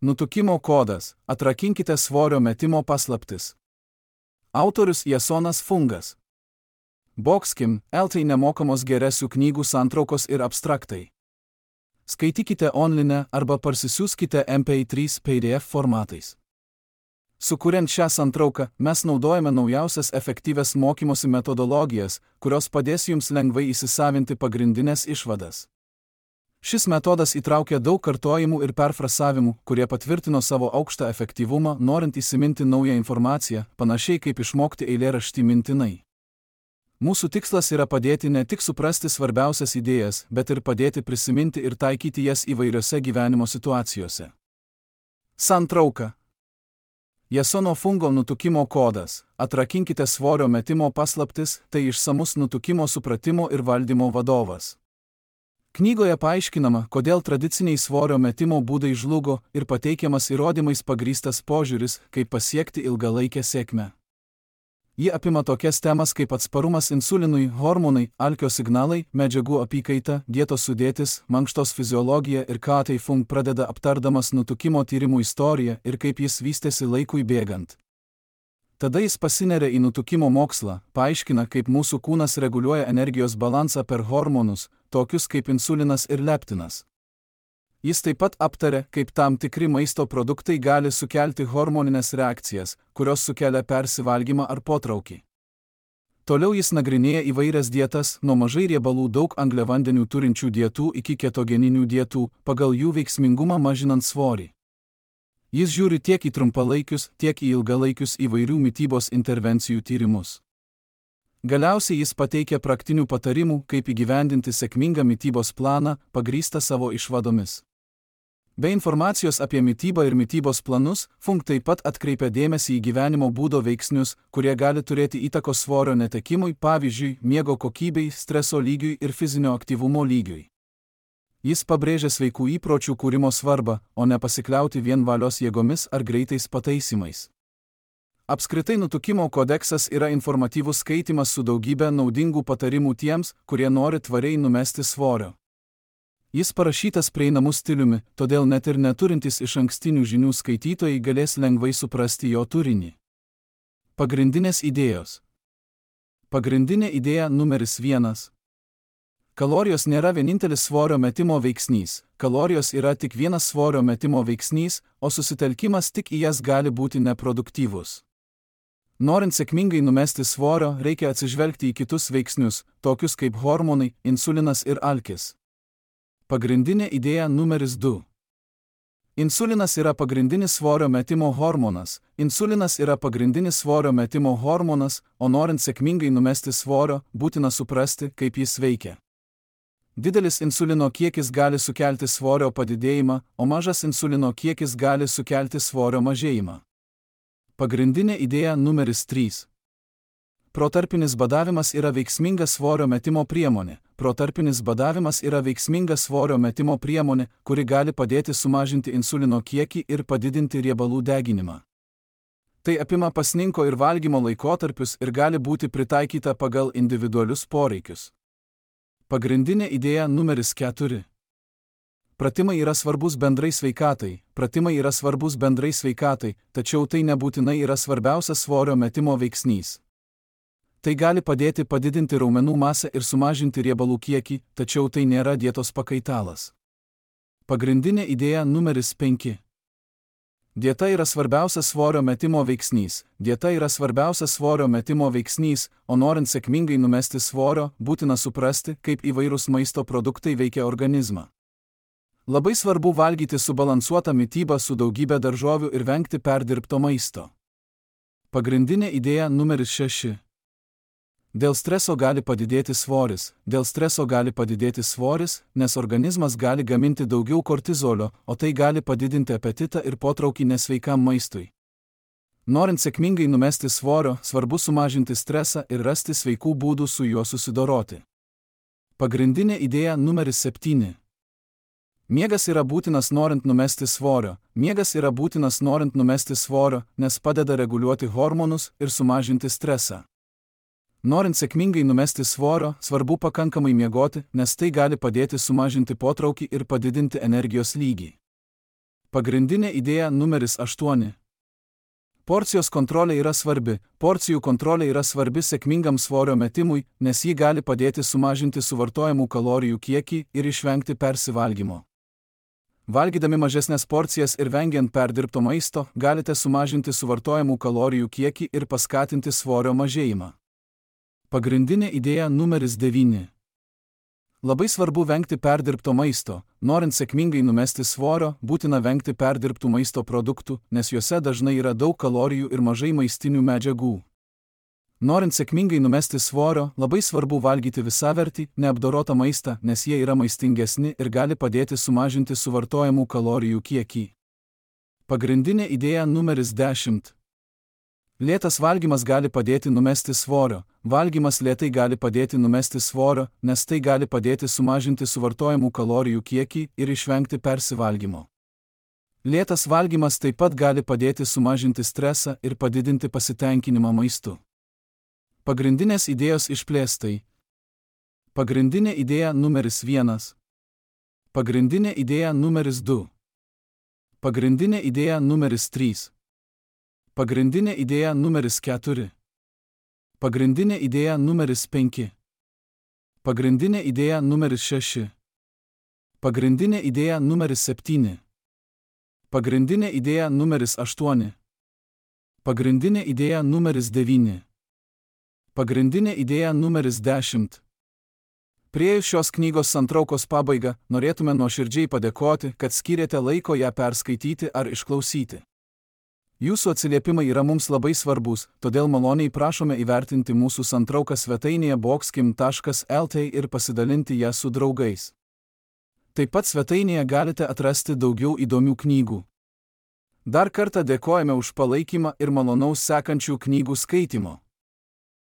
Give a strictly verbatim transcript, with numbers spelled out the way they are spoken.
Nutukimo kodas – atrakinkite svorio metimo paslaptis. Autorius Jasonas Fungas. Boxkim, L T nemokamos geresių knygų santraukos ir abstraktai. Skaitykite online arba parsisiųskite M P trys P D F formatais. Sukuriant šią santrauką, mes naudojame naujausias efektyvias mokymosi metodologijas, kurios padės jums lengvai įsisavinti pagrindinės išvadas. Šis metodas įtraukia daug kartojimų ir perfrasavimų, kurie patvirtino savo aukštą efektyvumą, norint įsiminti naują informaciją, panašiai kaip išmokti eilėraštį mintinai. Mūsų tikslas yra padėti ne tik suprasti svarbiausias idėjas, bet ir padėti prisiminti ir taikyti jas įvairiose gyvenimo situacijose. Santrauka. Jasono Fungo nutukimo kodas – atrakinkite svorio metimo paslaptis, tai išsamus nutukimo supratimo ir valdymo vadovas. Knygoje paaiškinama, kodėl tradiciniai svorio metimo būdai žlugo ir pateikiamas įrodymais pagrįstas požiūris, kaip pasiekti ilgalaikę sėkmę. Ji apima tokias temas kaip atsparumas insulinui, hormonai, alkio signalai, medžiagų apykaita, dietos sudėtis, mankštos fiziologija ir ką tai Fung pradeda aptardamas nutukimo tyrimų istoriją ir kaip jis vystėsi laikui bėgant. Tada jis pasineria į nutukimo mokslą, paaiškina, kaip mūsų kūnas reguliuoja energijos balansą per hormonus, tokius kaip insulinas ir leptinas. Jis taip pat aptarė, kaip tam tikri maisto produktai gali sukelti hormoninės reakcijas, kurios sukelia persivalgymą ar potraukį. Toliau jis nagrinėja įvairias dietas, nuo mažai riebalų daug angliavandenių turinčių dietų iki ketogeninių dietų, pagal jų veiksmingumą mažinant svorį. Jis žiūri tiek į trumpalaikius, tiek į ilgalaikius įvairių mitybos intervencijų tyrimus. Galiausiai jis pateikia praktinių patarimų, kaip įgyvendinti sėkmingą mitybos planą, pagrįstą savo išvadomis. Be informacijos apie mitybą ir mitybos planus, Fung taip pat atkreipia dėmesį į gyvenimo būdo veiksnius, kurie gali turėti įtakos svorio netekimui, pavyzdžiui, miego kokybei, streso lygiui ir fizinio aktyvumo lygiui. Jis pabrėžia sveikų įpročių kūrimo svarbą, o ne pasikliauti vien valios jėgomis ar greitais pataisimais. Apskritai nutukimo kodeksas yra informatyvus skaitimas su daugybė naudingų patarimų tiems, kurie nori tvariai numesti svorio. Jis parašytas prieinamu stiliumi, todėl net ir neturintys iš ankstinių žinių skaitytojai galės lengvai suprasti jo turinį. Pagrindinės idėjos. Pagrindinė idėja numeris vienas. Kalorijos nėra vienintelis svorio metimo veiksnys, kalorijos yra tik vienas svorio metimo veiksnys, o susitelkimas tik į jas gali būti neproduktyvus. Norint sėkmingai numesti svorio, reikia atsižvelgti į kitus veiksnius, tokius kaip hormonai, insulinas ir alkis. Pagrindinė idėja numeris du. Insulinas yra pagrindinis svorio metimo hormonas, insulinas yra pagrindinis svorio metimo hormonas, o norint sėkmingai numesti svorio, būtina suprasti, kaip jis veikia. Didelis insulino kiekis gali sukelti svorio padidėjimą, o mažas insulino kiekis gali sukelti svorio mažėjimą. Pagrindinė idėja numeris trys. Protarpinis badavimas yra veiksminga svorio metimo priemonė. Protarpinis badavimas yra veiksminga svorio metimo priemonė, kuri gali padėti sumažinti insulino kiekį ir padidinti riebalų deginimą. Tai apima pasninko ir valgymo laikotarpius ir gali būti pritaikyta pagal individualius poreikius. Pagrindinė idėja numeris keturi. Pratimai yra svarbus bendrai sveikatai, pratimai yra svarbus bendrai sveikatai, tačiau tai nebūtinai yra svarbiausias svorio metimo veiksnys. Tai gali padėti padidinti raumenų masę ir sumažinti riebalų kiekį, tačiau tai nėra dietos pakaitalas. Pagrindinė idėja numeris penki. Dieta yra svarbiausias svorio metimo veiksnys. Dieta yra svarbiausias svorio metimo veiksnys, o norint sėkmingai numesti svorio, būtina suprasti, kaip įvairūs maisto produktai veikia organizmą. Labai svarbu valgyti subalansuotą mitybą su daugybė daržovių ir vengti perdirbto maisto. Pagrindinė idėja numeris šeši. Dėl streso gali padidėti svoris. Dėl streso gali padidėti svoris, nes organizmas gali gaminti daugiau kortizolio, o tai gali padidinti apetitą ir potraukį nesveikam maistui. Norint sėkmingai numesti svorio, svarbu sumažinti stresą ir rasti sveikų būdų su juo susidoroti. Pagrindinė idėja numeris septyni. Miegas yra būtinas norint numesti svorio. Miegas yra būtinas norint numesti svorio, nes padeda reguliuoti hormonus ir sumažinti stresą. Norint sėkmingai numesti svorio, svarbu pakankamai miegoti, nes tai gali padėti sumažinti potraukį ir padidinti energijos lygį. Pagrindinė idėja numeris aštuoni. Porcijos kontrolė yra svarbi. Porcijų kontrolė yra svarbi sėkmingam svorio metimui, nes ji gali padėti sumažinti suvartojamų kalorijų kiekį ir išvengti persivalgymo. Valgydami mažesnės porcijas ir vengiant perdirbto maisto, galite sumažinti suvartojamų kalorijų kiekį ir paskatinti svorio mažėjimą. Pagrindinė idėja numeris devyni. Labai svarbu vengti perdirbto maisto. Norint sėkmingai numesti svorio, būtina vengti perdirbtų maisto produktų, nes juose dažnai yra daug kalorijų ir mažai maistinių medžiagų. Norint sėkmingai numesti svorio, labai svarbu valgyti visavertį, neapdorotą maistą, nes jie yra maistingesni ir gali padėti sumažinti suvartojamų kalorijų kiekį. Pagrindinė idėja numeris dešimt. Lėtas valgymas gali padėti numesti svorio. Valgymas lėtai gali padėti numesti svorio, nes tai gali padėti sumažinti suvartojamų kalorijų kiekį ir išvengti persivalgymo. Lėtas valgymas taip pat gali padėti sumažinti stresą ir padidinti pasitenkinimą maistu. Pagrindinės idėjos išplėstai. Pagrindinė idėja numeris vienas. Pagrindinė idėja numeris du. Pagrindinė idėja numeris trys. Pagrindinė idėja numeris keturi. Pagrindinė idėja numeris penki. Pagrindinė idėja numeris šeši. Pagrindinė idėja numeris septyni. Pagrindinė idėja numeris aštuoni. Pagrindinė idėja numeris devyni. Pagrindinė idėja numeris dešimt. Priėjus šios knygos santraukos pabaigą, norėtume nuoširdžiai padėkoti, kad skyrėte laiko ją perskaityti ar išklausyti. Jūsų atsiliepimai yra mums labai svarbus, todėl maloniai prašome įvertinti mūsų santrauką svetainėje boxkim taškas lt ir pasidalinti ją su draugais. Taip pat svetainėje galite atrasti daugiau įdomių knygų. Dar kartą dėkojame už palaikymą ir malonaus sekančių knygų skaitimo.